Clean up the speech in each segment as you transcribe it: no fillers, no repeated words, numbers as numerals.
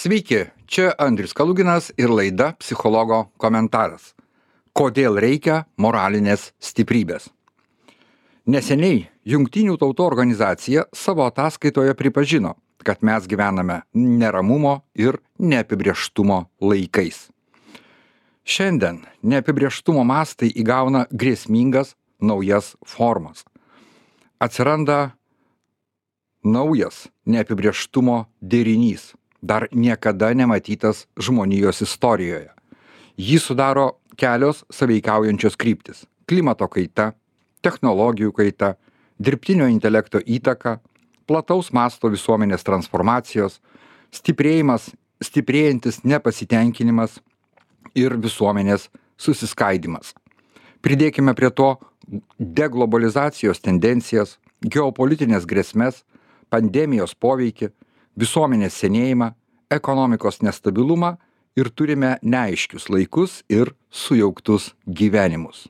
Sveiki, čia Andrius Kaluginas ir laida Psichologo komentaras. Kodėl reikia moralinės stiprybės? Neseniai Jungtinių tautų organizacija savo ataskaitoje pripažino, kad mes gyvename neramumo ir neapibrėžtumo laikais. Šiandien neapibrėžtumo mastai įgauna grėsmingas naujas formas. Atsiranda naujas neapibrėžtumo derinys, dar niekada nematytas žmonijos istorijoje. Jį sudaro kelios sąveikaujančios kryptis – klimato kaita, technologijų kaita, dirbtinio intelekto įtaka, plataus masto visuomenės transformacijos, stiprėjantis nepasitenkinimas ir visuomenės susiskaidimas. Pridėkime prie to deglobalizacijos tendencijas, geopolitinės grėsmes, pandemijos poveikį, visuomenės senėjimą, ekonomikos nestabilumą ir turime neaiškius laikus ir sujauktus gyvenimus.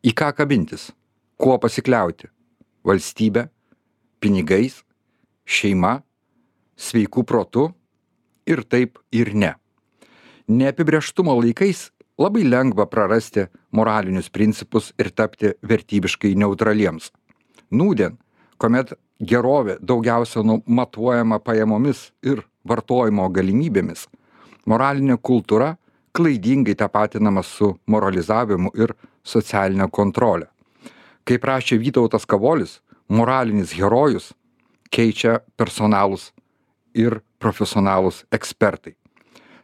Į ką kabintis? Kuo pasikliauti? Valstybe, pinigais, šeima, sveiku protu ir taip ir ne. Neapibrėžtumo laikais labai lengva prarasti moralinius principus ir tapti vertybiškai neutraliems. Nūdien, kuomet gerovė daugiausia matuojama pajamomis ir vartojimo galimybėmis, moralinė kultūra klaidingai tapatinama su moralizavimu ir socialinė kontrolė. Kaip rašė Vytautas Kavolis, moralinis herojus keičia personalus ir profesionalus ekspertai.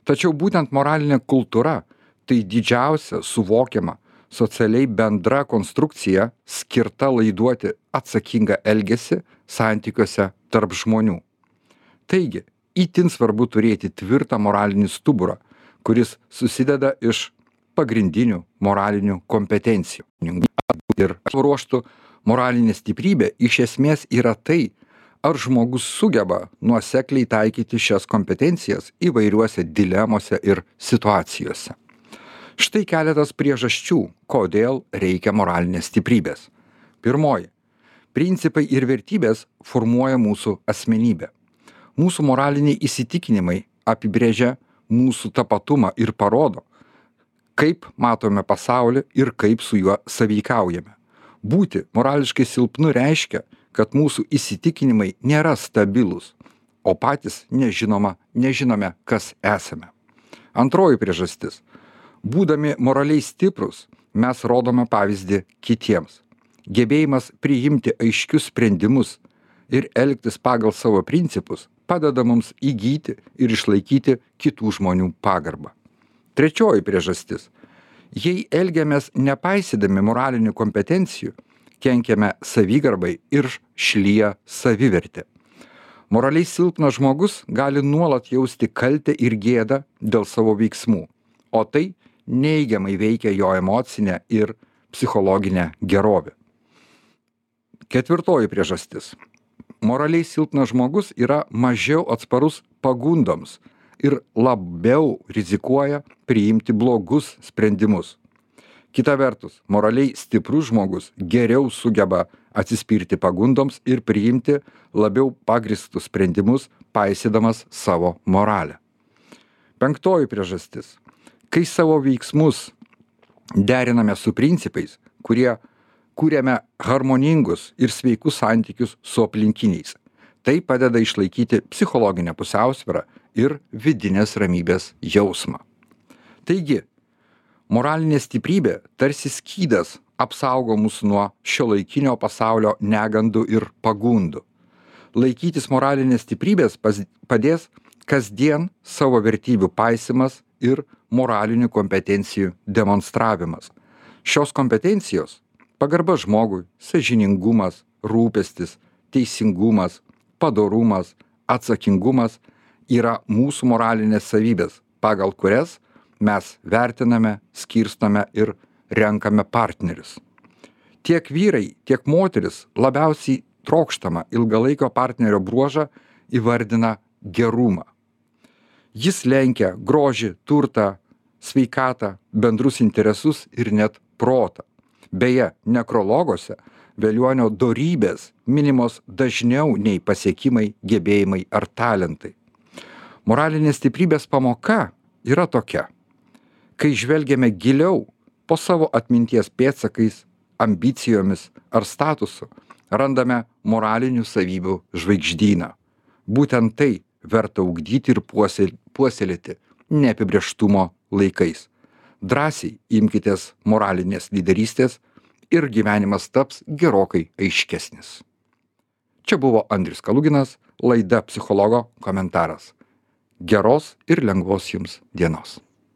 Tačiau būtent moralinė kultūra tai didžiausia suvokiama socialiai bendra konstrukcija skirta laiduoti atsakingą elgesį santykiuose tarp žmonių. Taigi, itin svarbu turėti tvirtą moralinį stuburą, kuris susideda iš pagrindinių moralinių kompetencijų. Ir ruoštų moralinė stiprybė iš esmės yra tai, ar žmogus sugeba nuosekliai taikyti šias kompetencijas įvairiuose dilemose ir situacijose. Štai keletas priežasčių, kodėl reikia moralinės stiprybės. Pirmoji. Principai ir vertybės formuoja mūsų asmenybę. Mūsų moraliniai įsitikinimai apibrėžia mūsų tapatumą ir parodo, kaip matome pasaulį ir kaip su juo sąveikaujame. Būti morališkai silpnu reiškia, kad mūsų įsitikinimai nėra stabilūs, o patys nežinome, kas esame. Antroji priežastis. Būdami moraliai stiprus, mes rodome pavyzdį kitiems. Gebėjimas priimti aiškius sprendimus ir elgtis pagal savo principus padeda mums įgyti ir išlaikyti kitų žmonių pagarbą. Trečioji priežastis. Jei elgiamės nepaisydami moralinių kompetencijų, kenkiame savigarbai ir šlyja savivertė. Moraliai silpnas žmogus gali nuolat jausti kaltę ir gėdą dėl savo veiksmų, o tai neigiamai veikia jo emocinę ir psichologinę gerovę. Ketvirtoji priežastis. Moraliai silpnas žmogus yra mažiau atsparus pagundoms ir labiau rizikuoja priimti blogus sprendimus. Kita vertus, moraliai stiprus žmogus geriau sugeba atsispirti pagundoms ir priimti labiau pagrįstus sprendimus, paisydamas savo moralę. Penktoji priežastis. Kai savo veiksmus deriname su principais, kurie kūrėme harmoningus ir sveikus santykius su aplinkiniais, tai padeda išlaikyti psichologinę pusiausvyrą ir vidinės ramybės jausmą. Taigi, moralinė stiprybė tarsi skydas apsaugo mus nuo šiuolaikinio pasaulio negandų ir pagundų. Laikytis moralinės stiprybės padės kasdien savo vertybių paisymas ir moralinių kompetencijų demonstravimas. Šios kompetencijos – pagarba žmogui, sąžiningumas, rūpestis, teisingumas, padorumas, atsakingumas – yra mūsų moralinės savybės, pagal kurias mes vertiname, skirstome ir renkame partnerius. Tiek vyrai, tiek moteris labiausiai trokštamą ilgalaikio partnerio bruožą įvardina gerumą. Jis lenkia grožį, turtą, sveikatą, bendrus interesus ir net protą. Beje, nekrologuose velionio dorybės minimos dažniau nei pasiekimai, gebėjimai ar talentai. Moralinės stiprybės pamoka yra tokia. Kai žvelgiame giliau po savo atminties pėdsakais, ambicijomis ar statusu, randame moralinių savybių žvaigždyną. Būtent tai verta ugdyti ir puoselėti neapibrėžtumo laikais. Drąsiai imkitės moralinės lyderystės ir gyvenimas taps gerokai aiškesnis. Čia buvo Andrius Kaluginas, laida Psichologo komentaras. Geros ir lengvos jums dienos.